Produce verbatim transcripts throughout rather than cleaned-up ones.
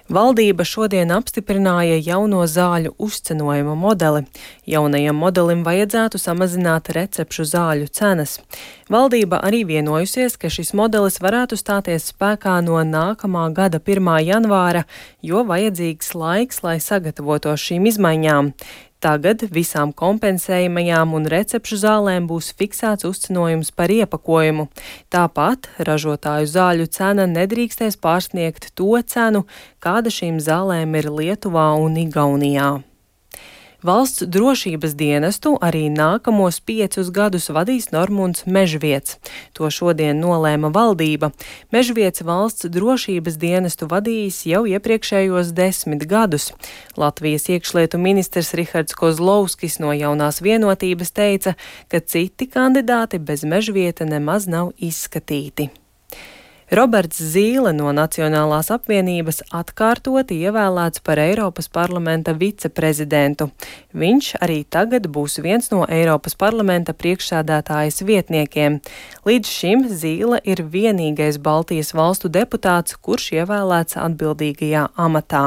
Valdība šodien apstiprināja jauno zāļu uzcenojuma modeli. Jaunajam modelim vajadzētu samazināt recepšu zāļu cenas. Valdība arī vienojusies, ka šis modelis varētu stāties spēkā no nākamā gada pirmā janvāra, jo vajadzīgs laiks, lai sagatavotos šīm izmaiņām. Tagad visām kompensējamajām un recepšu zālēm būs fiksēts uzcenojums par iepakojumu. Tāpat ražotāju zāļu cena nedrīkstēs pārsniegt to cenu, kāda šīm zālēm ir Lietuvā un Igaunijā. Valsts drošības dienestu arī nākamos piecus gadus vadīs Normunds Mežviets. To šodien nolēma valdība. Mežviets valsts drošības dienestu vadījis jau iepriekšējos desmit gadus. Latvijas iekšlietu ministrs Rihards Kozlovskis no Jaunās vienotības teica, ka citi kandidāti bez Mežvieta nemaz nav izskatīti. Roberts Zīle no Nacionālās apvienības atkārtoti ievēlēts par Eiropas parlamenta viceprezidentu. Viņš arī tagad būs viens no Eiropas parlamenta priekšsēdētājas vietniekiem. Līdz šim Zīle ir vienīgais Baltijas valstu deputāts, kurš ievēlēts atbildīgajā amatā.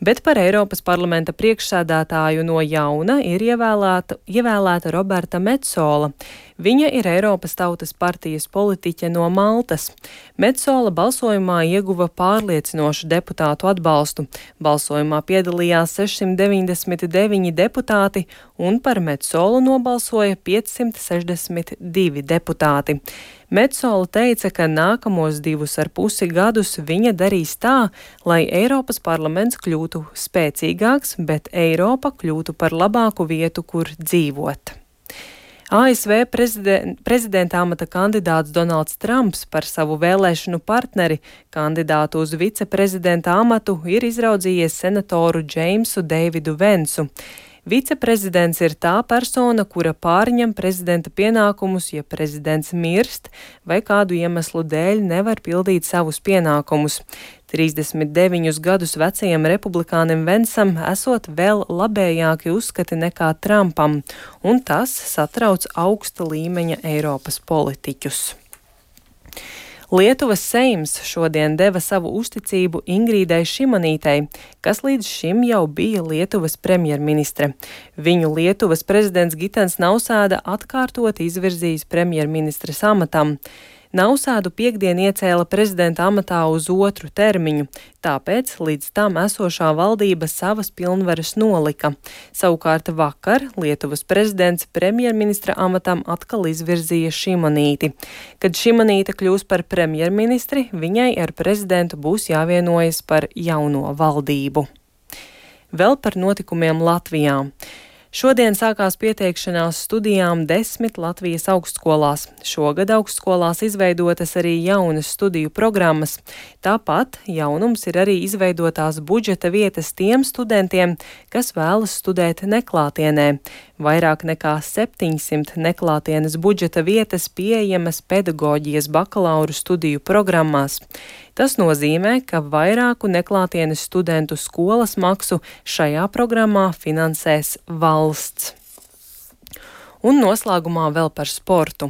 Bet par Eiropas parlamenta priekšsēdētāju no jauna ir ievēlēta, ievēlēta Roberta Metsola. Viņa ir Eiropas Tautas partijas politiķe no Maltas. Metsola balsojumā ieguva pārliecinošu deputātu atbalstu. Balsojumā piedalījās sešsimt deviņdesmit deviņi deputāti un par Metsolu nobalsoja piecsimt sešdesmit divi deputāti. Metsola teica, ka nākamos divus ar pusi gadus viņa darīs tā, lai Eiropas parlaments kļūtu spēcīgāks, bet Eiropa kļūtu par labāku vietu, kur dzīvot. A S V prezident, prezidenta amata kandidāts Donalds Trumps par savu vēlēšanu partneri, kandidātu uz viceprezidenta amatu, ir izraudzījies senatoru Džeimsu Deividu Vensu. Viceprezidents ir tā persona, kura pārņem prezidenta pienākumus, ja prezidents mirst vai kādu iemeslu dēļ nevar pildīt savus pienākumus. trīsdesmit deviņus gadus vecajam republikānim Vensam esot vēl labējāki uzskati nekā Trumpam, un tas satrauc augsta līmeņa Eiropas politiķus. Lietuvas Seims šodien deva savu uzticību Ingrīdai Šimanītei, kas līdz šim jau bija Lietuvas premjerministre. Viņu Lietuvas prezidents Gitens Nausēda atkārtot izvirzījis premjerministres amatam. Nausēdu piekdien iecēla prezidenta amatā uz otru termiņu, tāpēc līdz tam esošā valdība savas pilnvaras nolika. Savukārt vakar Lietuvas prezidents premjerministra amatam atkal izvirzīja Šimanīti. Kad Šimanīte kļūs par premjerministri, viņai ar prezidentu būs jāvienojas par jauno valdību. Vēl par notikumiem Latvijā. Šodien sākās pieteikšanās studijām desmit Latvijas augstskolās. Šogad augstskolās izveidotas arī jaunas studiju programmas. Tāpat jaunums ir arī izveidotās budžeta vietas tiem studentiem, kas vēlas studēt neklātienē. Vairāk nekā septiņsimt neklātienes budžeta vietas pieejamas pedagoģijas bakalauru studiju programmās. Tas nozīmē, ka vairāku neklātienes studentu skolas maksu šajā programmā finansēs valsts. Un noslēgumā vēl par sportu.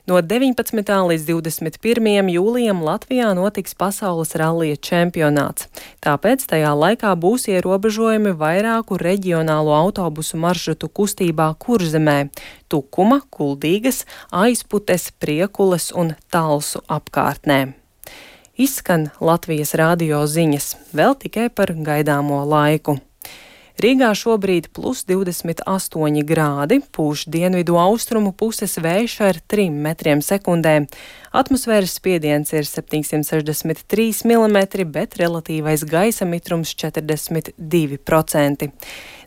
No deviņpadsmitā līdz divdesmit pirmajam jūlijam Latvijā notiks pasaules rallija čempionāts. Tāpēc tajā laikā būs ierobežojumi vairāku reģionālo autobusu maršrutu kustībā Kurzemē – Tukuma, Kuldīgas, Aizputes, Priekules un Talsu apkārtnē. Izskan Latvijas radio ziņas, vēl tikai par gaidāmo laiku. Rīgā šobrīd plus divdesmit astoņi grādi, pūš dienvidu austrumu puses vējš ar trim metriem sekundē. Atmosfēras spiediens ir septiņsimt sešdesmit trīs milimetri, bet relatīvais gaisa mitrums četrdesmit divi procenti.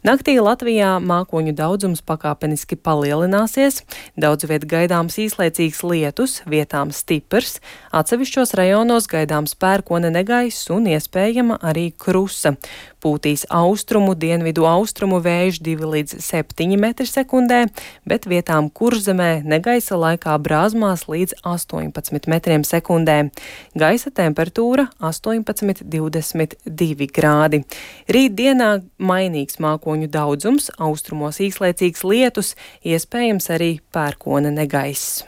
Naktī Latvijā mākoņu daudzums pakāpeniski palielināsies, daudz viet gaidāms īslaicīgs lietus, vietām stiprs, atsevišķos rajonos gaidāms pērkona negaiss un iespējama arī krusa. Pūtīs austrumu, dienvidu austrumu vējš divi līdz septiņi metri sekundē, bet vietām Kurzemē negaisa laikā brāzmās līdz astoņpadsmit metriem sekundē. Gaisa temperatūra astoņpadsmit līdz divdesmit divi grādi. Rīt dienā mainīgs mākoņu daudzums, austrumos īslaicīgs lietus, iespējams arī pērkona negaiss.